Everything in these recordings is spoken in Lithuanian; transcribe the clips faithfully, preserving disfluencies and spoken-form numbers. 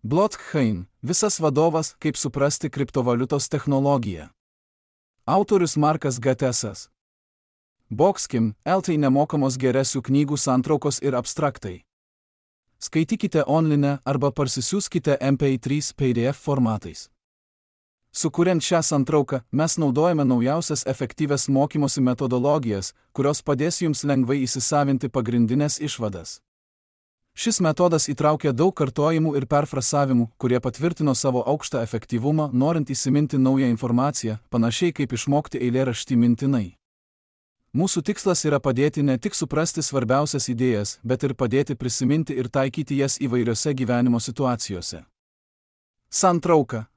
Blockchain – visas vadovas, kaip suprasti kriptovaliutos technologiją. Autorius Markas Gatesas. Boxkim, L T nemokamos geresių knygų santraukos ir abstraktai. Skaitykite online arba parsisiųskite M P trys P D F formatais. Sukuriant šią santrauką, mes naudojame naujausias efektyvias mokymosi metodologijas, kurios padės jums lengvai įsisavinti pagrindinės išvadas. Šis metodas įtraukia daug kartojimų ir perfrasavimų, kurie patvirtino savo aukštą efektyvumą, norint įsiminti naują informaciją, panašiai kaip išmokti eilėraštį mintinai. Mūsų tikslas yra padėti ne tik suprasti svarbiausias idėjas, bet ir padėti prisiminti ir taikyti jas įvairiose gyvenimo situacijose. Santrauka.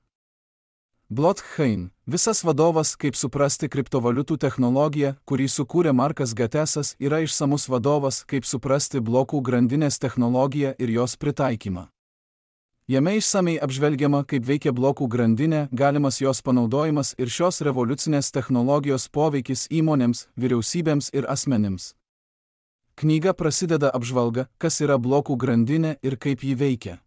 Blockchain – visas vadovas, kaip suprasti kriptovaliutų technologiją, kurį sukūrė Markas Gatesas, yra išsamus vadovas, kaip suprasti blokų grandinės technologiją ir jos pritaikymą. Jame išsamei apžvelgiama, kaip veikia blokų grandinė, galimas jos panaudojimas ir šios revoliucinės technologijos poveikis įmonėms, vyriausybėms ir asmenims. Knyga prasideda apžvalga, kas yra blokų grandinė ir kaip ji veikia.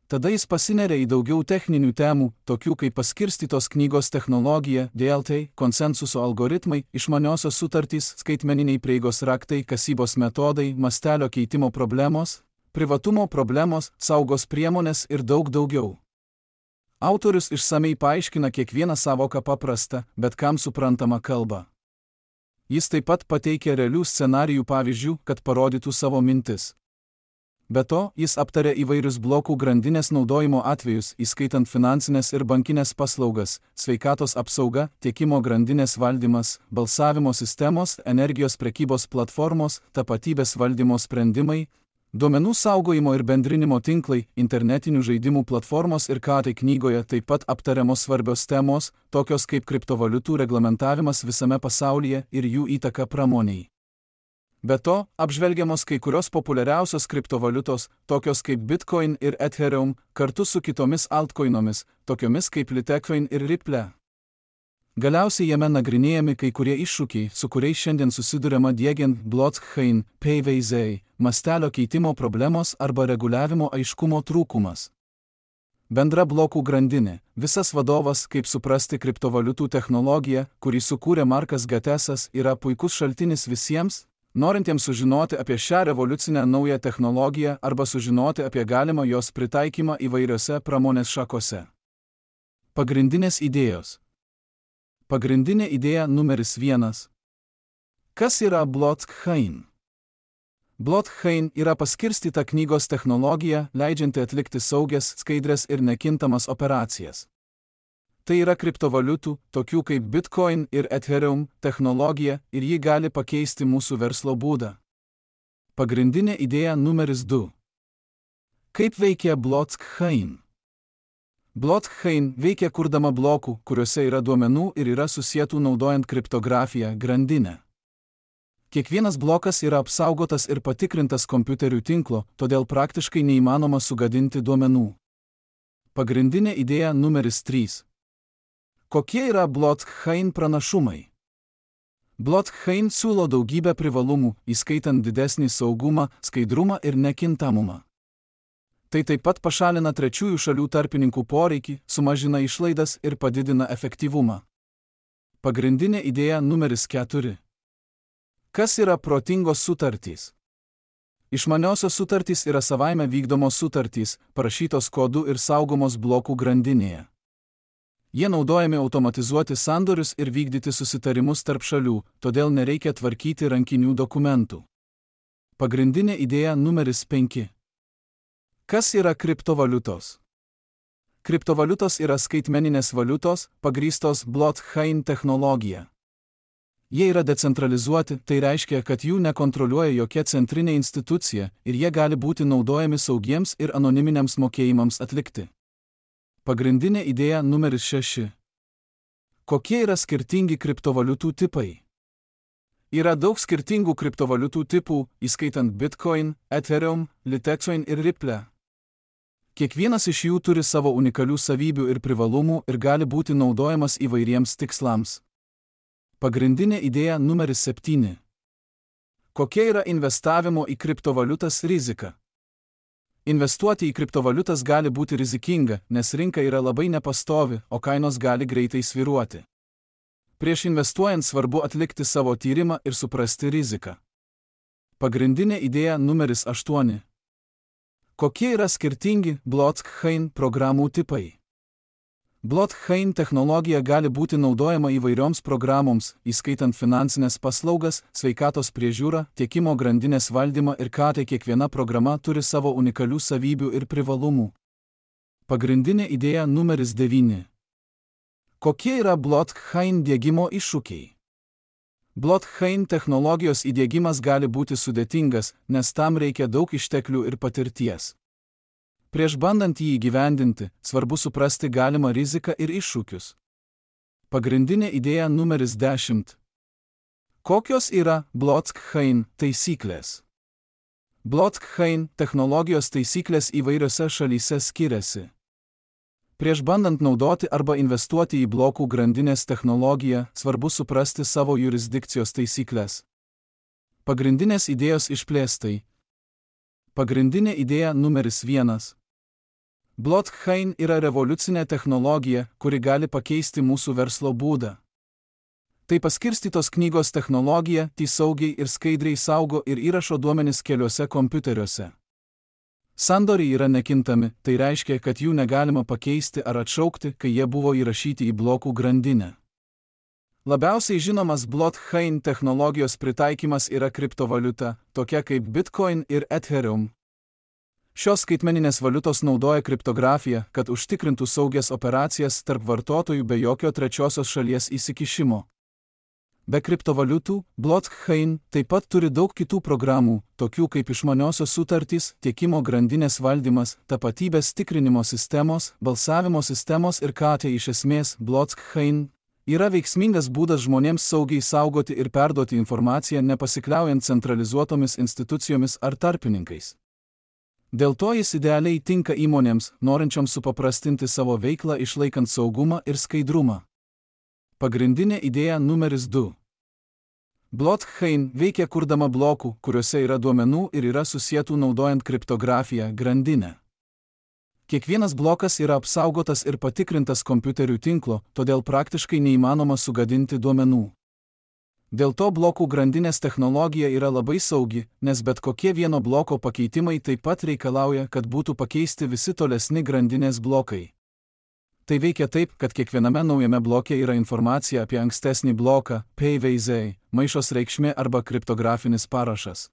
Tada jis pasineria į daugiau techninių temų, tokių kaip paskirstytos knygos technologija, D L T, konsensuso algoritmai, išmaniosios sutartys, skaitmeniniai prieigos raktai, kasybos metodai, mastelio keitimo problemos, privatumo problemos, saugos priemonės ir daug daugiau. Autorius išsamei paaiškina kiekvieną savoką paprastą, bet kam suprantamą kalbą. Jis taip pat pateikia realių scenarijų pavyzdžių, kad parodytų savo mintis. Be to, jis aptarė įvairius blokų grandinės naudojimo atvejus, įskaitant finansinės ir bankinės paslaugas, sveikatos apsauga, tiekimo grandinės valdymas, balsavimo sistemos, energijos prekybos platformos, tapatybės valdymo sprendimai, duomenų saugojimo ir bendrinimo tinklai, internetinių žaidimų platformos ir ką tai knygoje taip pat aptariamos svarbios temos, tokios kaip kriptovaliutų reglamentavimas visame pasaulyje ir jų įtaka pramoniai. Be to, apžvelgiamos kai kurios populiariausios kriptovaliutos, tokios kaip Bitcoin ir Ethereum, kartu su kitomis altcoinomis, tokiomis kaip Litecoin ir Ripple. Galiausiai jame nagrinėjami kai kurie iššūkiai, su kuriais šiandien susiduriama diegiant blockchain, P V Z, mastelio keitimo problemos arba reguliavimo aiškumo trūkumas. Bendra blokų grandinė – visas vadovas, kaip suprasti kriptovaliutų technologiją, kurį sukūrė Markas Gatesas, yra puikus šaltinis visiems, norintiems sužinoti apie šią revoliucinę naują technologiją arba sužinoti apie galimą jos pritaikymą įvairiose pramonės šakose. Pagrindinės idėjos. Pagrindinė idėja numeris vienas. Kas yra blockchain? Blockchain yra paskirstyta knygos technologija, leidžianti atlikti saugias, skaidrias ir nekintamas operacijas. Tai yra kriptovaliutų, tokių kaip Bitcoin ir Ethereum, technologija ir ji gali pakeisti mūsų verslo būdą. Pagrindinė idėja numeris du. Kaip veikia blockchain? Blockchain veikia kurdama blokų, kuriuose yra duomenų ir yra susietų naudojant kriptografiją, grandinę. Kiekvienas blokas yra apsaugotas ir patikrintas kompiuterių tinklo, todėl praktiškai neįmanoma sugadinti duomenų. Pagrindinė idėja numeris trys. Kokie yra blockchain pranašumai? Blockchain siūlo daugybę privalumų, įskaitant didesnį saugumą, skaidrumą ir nekintamumą. Tai taip pat pašalina trečiųjų šalių tarpininkų poreikį, sumažina išlaidas ir padidina efektyvumą. Pagrindinė idėja numeris keturi. Kas yra protingos sutartys? Išmaniosios sutartys yra savaime vykdomos sutartys, parašytos kodu ir saugomos blokų grandinėje. Jie naudojami automatizuoti sandorius ir vykdyti susitarimus tarp šalių, todėl nereikia tvarkyti rankinių dokumentų. Pagrindinė idėja numeris penki. Kas yra kriptovaliutos? Kriptovaliutos yra skaitmeninės valiutos, pagrįstos blockchain technologija. Jie yra decentralizuoti, tai reiškia, kad jų nekontroliuoja jokia centrinė institucija ir jie gali būti naudojami saugiems ir anoniminiams mokėjimams atlikti. Pagrindinė idėja numeris šeši. Kokie yra skirtingi kriptovaliutų tipai? Yra daug skirtingų kriptovaliutų tipų, įskaitant Bitcoin, Ethereum, Litecoin ir Ripple. Kiekvienas iš jų turi savo unikalių savybių ir privalumų ir gali būti naudojamas įvairiems tikslams. Pagrindinė idėja numeris septyni. Kokia yra investavimo į kriptovaliutas rizika? Investuoti į kriptovaliutas gali būti rizikinga, nes rinka yra labai nepastovi, o kainos gali greitai svyruoti. Prieš investuojant svarbu atlikti savo tyrimą ir suprasti riziką. Pagrindinė idėja numeris aštuoni. Kokie yra skirtingi blockchain programų tipai? Blockchain technologija gali būti naudojama įvairioms programoms, įskaitant finansinės paslaugas, sveikatos priežiūrą, tiekimo grandinės valdymą ir ką tai kiekviena programa turi savo unikalių savybių ir privalumų. Pagrindinė idėja numeris devyni. Kokie yra blockchain diegimo iššūkiai? Blockchain technologijos įdiegimas gali būti sudėtingas, nes tam reikia daug išteklių ir patirties. Prieš bandant jį įgyvendinti, svarbu suprasti galimą riziką ir iššūkius. Pagrindinė idėja numeris dešimt. Kokios yra blockchain taisyklės? Blockchain technologijos taisyklės įvairiose šalyse skiriasi. Prieš bandant naudoti arba investuoti į blokų grandinės technologiją, svarbu suprasti savo jurisdikcijos taisyklės. Pagrindinės idėjos išplėstai. Pagrindinė idėja numeris vienas. Blockchain yra revoliucinė technologija, kuri gali pakeisti mūsų verslo būdą. Tai paskirstytos knygos technologija, tai saugiai ir skaidriai saugo ir įrašo duomenis keliuose kompiuteriuose. Sandoriai yra nekintami, tai reiškia, kad jų negalima pakeisti ar atšaukti, kai jie buvo įrašyti į blokų grandinę. Labiausiai žinomas blockchain technologijos pritaikymas yra kriptovaliuta, tokia kaip Bitcoin ir Ethereum. Šios skaitmeninės valiutos naudoja kriptografiją, kad užtikrintų saugias operacijas tarp vartotojų be jokio trečiosios šalies įsikišimo. Be kriptovaliutų, blockchain taip pat turi daug kitų programų, tokių kaip išmaniosios sutartys, tiekimo grandinės valdymas, tapatybės tikrinimo sistemos, balsavimo sistemos ir ką tai iš esmės blockchain yra veiksmingas būdas žmonėms saugiai saugoti ir perduoti informaciją nepasikliaujant centralizuotomis institucijomis ar tarpininkais. Dėl to jis idealiai tinka įmonėms, norinčioms supaprastinti savo veiklą išlaikant saugumą ir skaidrumą. Pagrindinė idėja numeris du. Blockchain veikia kurdama blokų, kuriuose yra duomenų ir yra susietų naudojant kriptografiją, grandinę. Kiekvienas blokas yra apsaugotas ir patikrintas kompiuterių tinklo, todėl praktiškai neįmanoma sugadinti duomenų. Dėl to blokų grandinės technologija yra labai saugi, nes bet kokie vieno bloko pakeitimai taip pat reikalauja, kad būtų pakeisti visi tolesni grandinės blokai. Tai veikia taip, kad kiekviename naujame bloke yra informacija apie ankstesnį bloką, P V Z, maišos reikšmė arba kriptografinis parašas.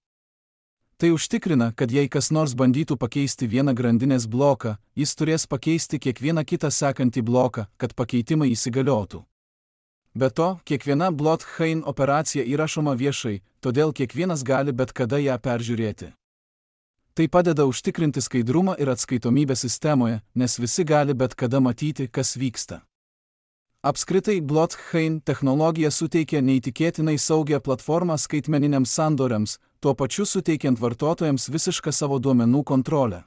Tai užtikrina, kad jei kas nors bandytų pakeisti vieną grandinės bloką, jis turės pakeisti kiekvieną kitą sekantį bloką, kad pakeitimai įsigaliotų. Be to, kiekviena blockchain operacija įrašoma viešai, todėl kiekvienas gali bet kada ją peržiūrėti. Tai padeda užtikrinti skaidrumą ir atskaitomybę sistemoje, nes visi gali bet kada matyti, kas vyksta. Apskritai, blockchain technologija suteikia neįtikėtinai saugią platformą skaitmeniniams sandoriams, tuo pačiu suteikiant vartotojams visišką savo duomenų kontrolę.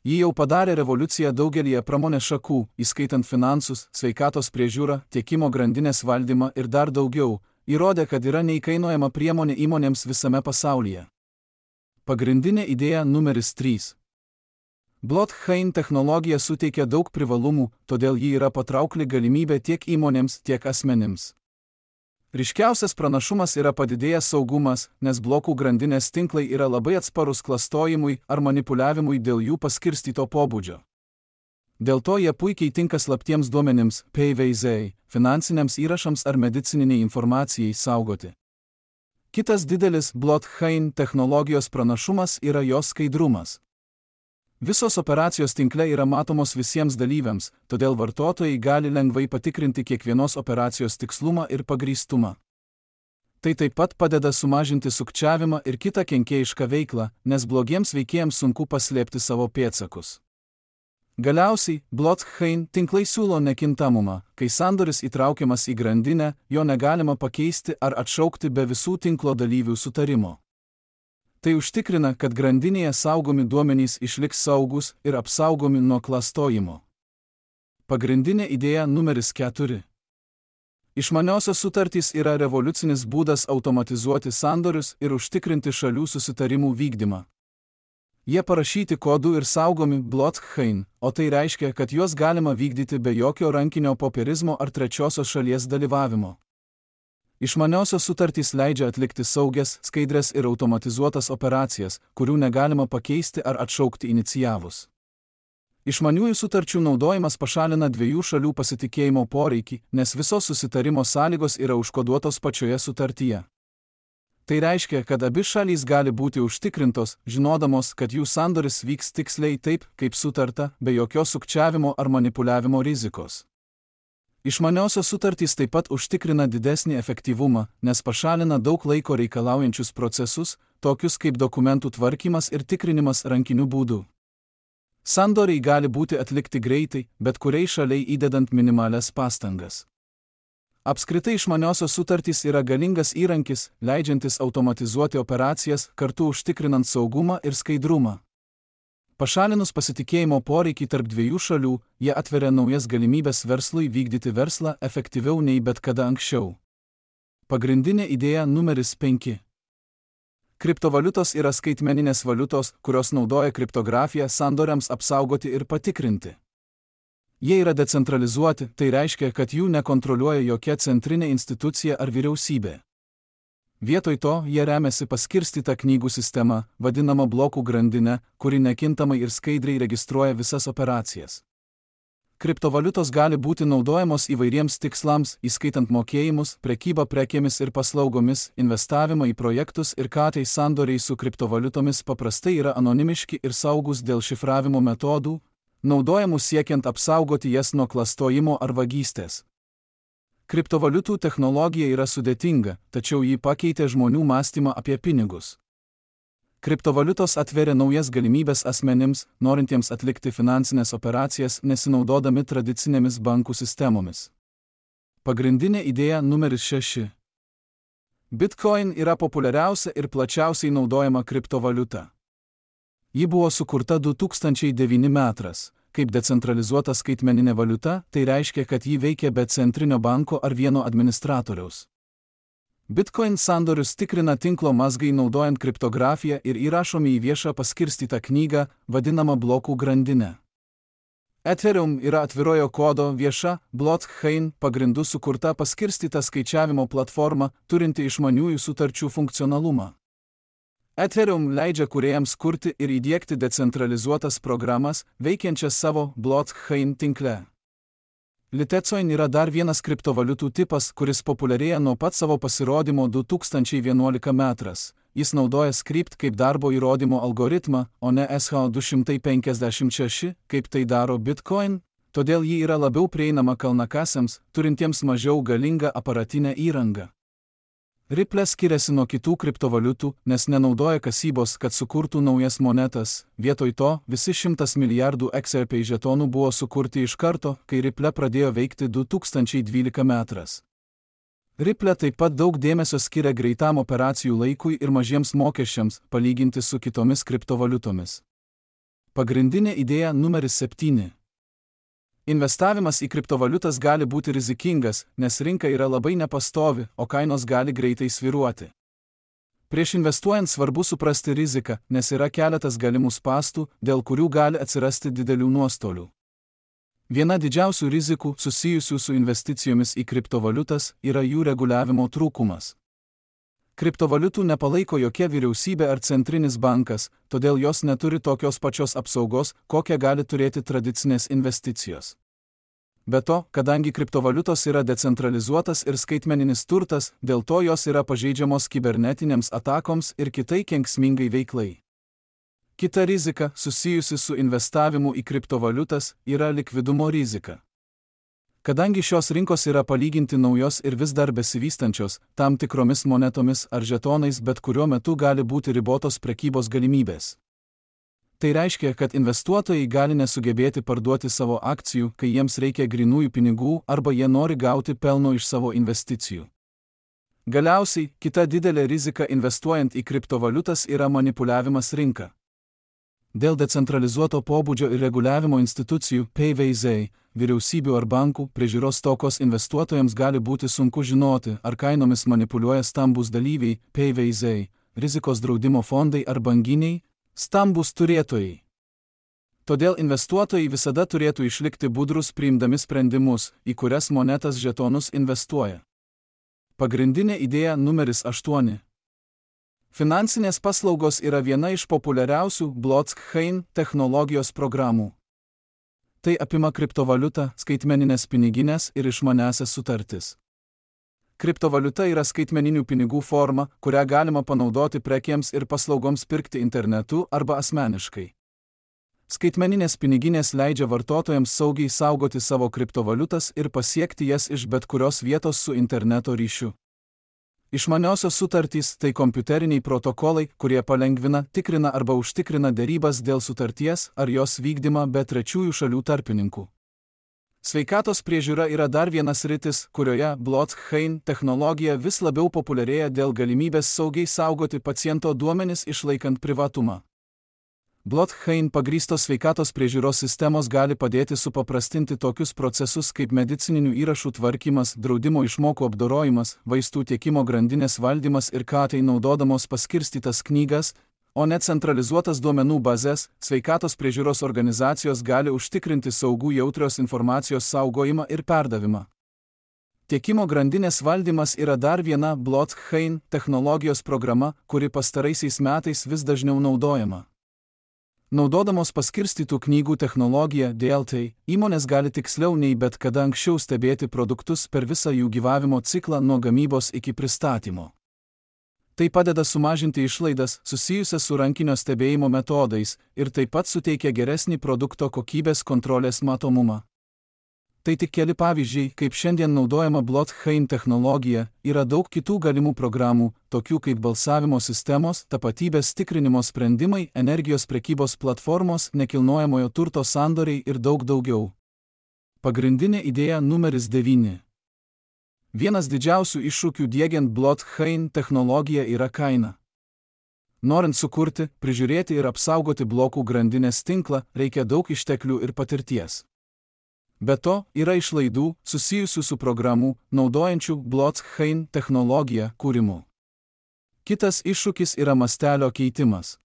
Ji jau padarė revoliuciją daugelyje pramonės šakų, įskaitant finansus, sveikatos priežiūrą, tiekimo grandinės valdymą ir dar daugiau, įrodė, kad yra neįkainojama priemonė įmonėms visame pasaulyje. Pagrindinė idėja numeris trys. Blockchain technologija suteikia daug privalumų, todėl ji yra patraukli galimybė tiek įmonėms, tiek asmenims. Ryškiausias pranašumas yra padidėjęs saugumas, nes blokų grandinės tinklai yra labai atsparus klastojimui ar manipuliavimui dėl jų paskirstyto pobūdžio. Dėl to jie puikiai tinka slaptiems duomenims, P V Z, finansiniams įrašams ar medicininiai informacijai saugoti. Kitas didelis blockchain technologijos pranašumas yra jos skaidrumas. Visos operacijos tinkle yra matomos visiems dalyviams, todėl vartotojai gali lengvai patikrinti kiekvienos operacijos tikslumą ir pagrįstumą. Tai taip pat padeda sumažinti sukčiavimą ir kitą kenkėjišką veiklą, nes blogiems veikėjams sunku paslėpti savo pėdsakus. Galiausiai, blockchain tinklai siūlo nekintamumą, kai sandoris įtraukiamas į grandinę, jo negalima pakeisti ar atšaukti be visų tinklo dalyvių sutarimo. Tai užtikrina, kad grandinėje saugomi duomenys išliks saugus ir apsaugomi nuo klastojimo. Pagrindinė idėja numeris keturi. Išmaniosios sutartys yra revoliucinis būdas automatizuoti sandorius ir užtikrinti šalių susitarimų vykdymą. Jie parašyti kodu ir saugomi blockchain, o tai reiškia, kad juos galima vykdyti be jokio rankinio popierizmo ar trečiosios šalies dalyvavimo. Išmaniosios sutartys leidžia atlikti saugias, skaidres ir automatizuotas operacijas, kurių negalima pakeisti ar atšaukti inicijavus. Išmaniųjų sutarčių naudojimas pašalina dviejų šalių pasitikėjimo poreikį, nes visos susitarimo sąlygos yra užkoduotos pačioje sutartyje. Tai reiškia, kad abi šalys gali būti užtikrintos, žinodamos, kad jų sandoris vyks tiksliai taip, kaip sutarta, be jokios sukčiavimo ar manipuliavimo rizikos. Išmaniosios sutartys taip pat užtikrina didesnį efektyvumą, nes pašalina daug laiko reikalaujančius procesus, tokius kaip dokumentų tvarkymas ir tikrinimas rankiniu būdu. Sandoriai gali būti atlikti greitai, bet kuriai šaliai įdedant minimalias pastangas. Apskritai išmaniosios sutartys yra galingas įrankis, leidžiantis automatizuoti operacijas, kartu užtikrinant saugumą ir skaidrumą. Pašalinus pasitikėjimo poreikį tarp dviejų šalių, jie atveria naujas galimybės verslui vykdyti verslą efektyviau nei bet kada anksčiau. Pagrindinė idėja numeris penki. Kriptovaliutos yra skaitmeninės valiutos, kurios naudoja kriptografiją sandoriams apsaugoti ir patikrinti. Jie yra decentralizuoti, tai reiškia, kad jų nekontroliuoja jokia centrinė institucija ar vyriausybė. Vietoj to, jie remiasi paskirstyta knygų sistema, vadinama blokų grandinė, kuri nekintamai ir skaidriai registruoja visas operacijas. Kriptovaliutos gali būti naudojamos įvairiems tikslams, įskaitant mokėjimus, prekybą prekėmis ir paslaugomis, investavimą į projektus ir katai sandoriai su kriptovaliutomis paprastai yra anonimiški ir saugus dėl šifravimo metodų, naudojamų siekiant apsaugoti jas nuo klastojimo ar vagystės. Kriptovaliutų technologija yra sudėtinga, tačiau ji pakeitė žmonių mąstymą apie pinigus. Kriptovaliutos atveria naujas galimybės asmenims, norintiems atlikti finansinės operacijas, nesinaudodami tradicinėmis bankų sistemomis. Pagrindinė idėja numeris šeši. Bitcoin yra populiariausia ir plačiausiai naudojama kriptovaliuta. Ji buvo sukurta du tūkstančiai devinti metais. Kaip decentralizuota skaitmeninė valiuta, tai reiškia, kad ji veikia be centrinio banko ar vieno administratoriaus. Bitcoin sandorius tikrina tinklo mazgai naudojant kriptografiją ir įrašomi į viešą paskirstytą knygą, vadinamą blokų grandinę. Ethereum yra atvirojo kodo vieša, blockchain pagrindu sukurta paskirstyta skaičiavimo platforma, turinti išmaniųjų sutarčių funkcionalumą. Ethereum leidžia kūrėjams kurti ir įdiegti decentralizuotas programas, veikiančias savo blockchain tinkle. Litecoin yra dar vienas kriptovaliutų tipas, kuris populiarėja nuo pat savo pasirodymo du tūkstančiai vienuoliktais metais. Jis naudoja Scrypt kaip darbo įrodymo algoritmą, o ne S H du šimtai penkiasdešimt šeši, kaip tai daro Bitcoin, todėl ji yra labiau prieinama kalnakasiams, turintiems mažiau galingą aparatinę įrangą. Ripple skiriasi nuo kitų kriptovaliutų, nes nenaudoja kasybos, kad sukurtų naujas monetas. Vietoj to, visi šimtas milijardų X R P žetonų buvo sukurti iš karto, kai Ripple pradėjo veikti du tūkstančiai dvyliktais metais. Ripple taip pat daug dėmesio skiria greitam operacijų laikui ir mažiems mokesčiams, palyginti su kitomis kriptovaliutomis. Pagrindinė idėja numeris septyni. Investavimas į kriptovaliutas gali būti rizikingas, nes rinka yra labai nepastovi, o kainos gali greitai svyruoti. Prieš investuojant svarbu suprasti riziką, nes yra keletas galimų spąstų, dėl kurių gali atsirasti didelių nuostolių. Viena didžiausių rizikų susijusių su investicijomis į kriptovaliutas yra jų reguliavimo trūkumas. Kriptovaliutų nepalaiko jokia vyriausybė ar centrinis bankas, todėl jos neturi tokios pačios apsaugos, kokią gali turėti tradicinės investicijos. Be to, kadangi kriptovaliutos yra decentralizuotas ir skaitmeninis turtas, dėl to jos yra pažeidžiamos kibernetinėms atakoms ir kitai kenksmingai veiklai. Kita rizika, susijusi su investavimu į kriptovaliutas, yra likvidumo rizika. Kadangi šios rinkos yra palyginti naujos ir vis dar besivystančios, tam tikromis monetomis ar žetonais bet kuriuo metu gali būti ribotos prekybos galimybės. Tai reiškia, kad investuotojai gali nesugebėti parduoti savo akcijų, kai jiems reikia grynųjų pinigų arba jie nori gauti pelno iš savo investicijų. Galiausiai, kita didelė rizika investuojant į kriptovaliutas yra manipuliavimas rinka. Dėl decentralizuoto pobūdžio ir reguliavimo institucijų P V Z, vyriausybių ar bankų priežiūros stokos investuotojams gali būti sunku žinoti, ar kainomis manipuliuoja stambūs dalyviai P V Z, rizikos draudimo fondai ar banginiai, Stambūs turėtojai. Todėl investuotojai visada turėtų išlikti budrus priimdami sprendimus, į kurias monetas žetonus investuoja. Pagrindinė idėja numeris aštuoni. Finansinės paslaugos yra viena iš populiariausių blockchain technologijos programų. Tai apima kriptovaliutą, skaitmeninės piniginės ir išmaniąsias sutartis. Kriptovaliuta yra skaitmeninių pinigų forma, kurią galima panaudoti prekėms ir paslaugoms pirkti internetu arba asmeniškai. Skaitmeninės piniginės leidžia vartotojams saugiai saugoti savo kriptovaliutas ir pasiekti jas iš bet kurios vietos su interneto ryšiu. Išmaniosios sutartys – tai kompiuteriniai protokolai, kurie palengvina, tikrina arba užtikrina derybas dėl sutarties ar jos vykdymą be trečiųjų šalių tarpininkų. Sveikatos priežiūra yra dar vienas sritis, kurioje blockchain technologija vis labiau populiarėja dėl galimybės saugiai saugoti paciento duomenis išlaikant privatumą. Blockchain pagrįstos sveikatos priežiūros sistemos gali padėti supaprastinti tokius procesus kaip medicininių įrašų tvarkymas, draudimo išmokų apdorojimas, vaistų tiekimo grandinės valdymas ir ką tai naudodamos paskirstytas knygas, o ne centralizuotas duomenų bazes. Sveikatos priežiūros organizacijos gali užtikrinti saugų jautrios informacijos saugojimą ir perdavimą. Tiekimo grandinės valdymas yra dar viena blockchain technologijos programa, kuri pastaraisiais metais vis dažniau naudojama. Naudodamos paskirstytų knygų technologiją D L T, įmonės gali tiksliau nei bet kada anksčiau stebėti produktus per visą jų gyvavimo ciklą nuo gamybos iki pristatymo. Tai padeda sumažinti išlaidas susijusias su rankinio stebėjimo metodais ir taip pat suteikia geresnį produkto kokybės kontrolės matomumą. Tai tik keli pavyzdžiai, kaip šiandien naudojama blockchain technologija, yra daug kitų galimų programų, tokių kaip balsavimo sistemos, tapatybės tikrinimo sprendimai, energijos prekybos platformos, nekilnojamojo turto sandoriai ir daug daugiau. Pagrindinė idėja numeris devyni. Vienas didžiausių iššūkių diegiant blockchain technologiją yra kaina. Norint sukurti, prižiūrėti ir apsaugoti blokų grandinės tinklą, reikia daug išteklių ir patirties. Be to, yra išlaidų susijusių su programų, naudojančių blockchain technologiją kūrimu. Kitas iššūkis yra mastelio keitimas.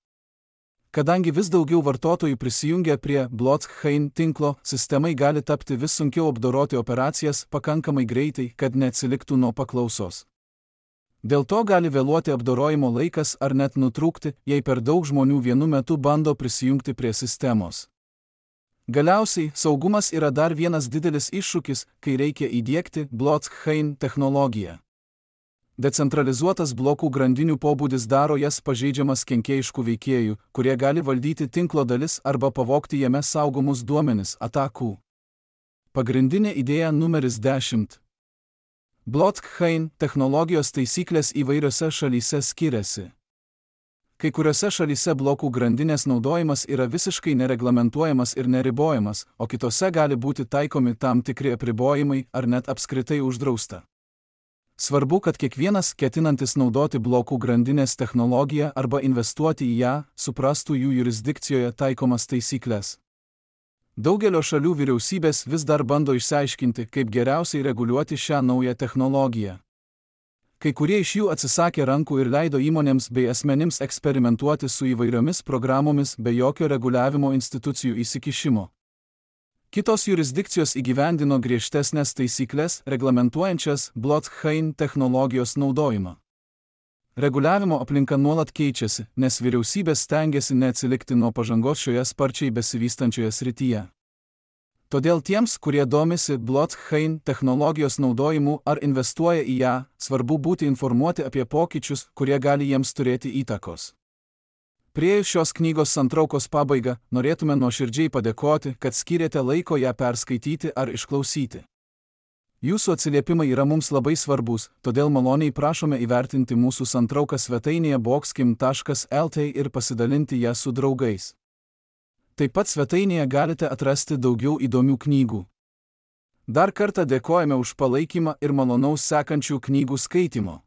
Kadangi vis daugiau vartotojų prisijungia prie blockchain tinklo, sistemai gali tapti vis sunkiau apdoroti operacijas pakankamai greitai, kad neatsiliktų nuo paklausos. Dėl to gali vėluoti apdorojimo laikas ar net nutrūkti, jei per daug žmonių vienu metu bando prisijungti prie sistemos. Galiausiai, saugumas yra dar vienas didelis iššūkis, kai reikia įdiegti blockchain technologiją. Decentralizuotas blokų grandinių pobūdis daro jas pažeidžiamas kenkėjiškų veikėjų, kurie gali valdyti tinklo dalis arba pavogti jame saugomus duomenis atakų. Pagrindinė idėja numeris dešimt. Blockchain technologijos taisyklės įvairiose šalyse skiriasi. Kai kuriuose šalyse blokų grandinės naudojimas yra visiškai nereglamentuojamas ir neribojamas, o kitose gali būti taikomi tam tikri apribojimai ar net apskritai uždrausta. Svarbu, kad kiekvienas ketinantis naudoti blokų grandinės technologiją arba investuoti į ją, suprastų jų jurisdikcijoje taikomas taisyklės. Daugelio šalių vyriausybės vis dar bando išsiaiškinti, kaip geriausiai reguliuoti šią naują technologiją. Kai kurie iš jų atsisakė rankų ir leido įmonėms bei asmenims eksperimentuoti su įvairiomis programomis be jokio reguliavimo institucijų įsikišimo. Kitos jurisdikcijos įgyvendino griežtesnės taisyklės, reglamentuojančias blockchain technologijos naudojimą. Reguliavimo aplinka nuolat keičiasi, nes vyriausybės stengiasi neatsilikti nuo pažangos šioje sparčiai besivystančioje srityje. Todėl tiems, kurie domisi blockchain technologijos naudojimu ar investuoja į ją, svarbu būti informuoti apie pokyčius, kurie gali jiems turėti įtakos. Priėjus šios knygos santraukos pabaigą, norėtume nuoširdžiai padėkoti, kad skyrėte laiko ją perskaityti ar išklausyti. Jūsų atsiliepimai yra mums labai svarbus, todėl maloniai prašome įvertinti mūsų santrauką svetainėje boxkim taškas el t ir pasidalinti ją su draugais. Taip pat svetainėje galite atrasti daugiau įdomių knygų. Dar kartą dėkojame už palaikymą ir malonaus sekančių knygų skaitimo.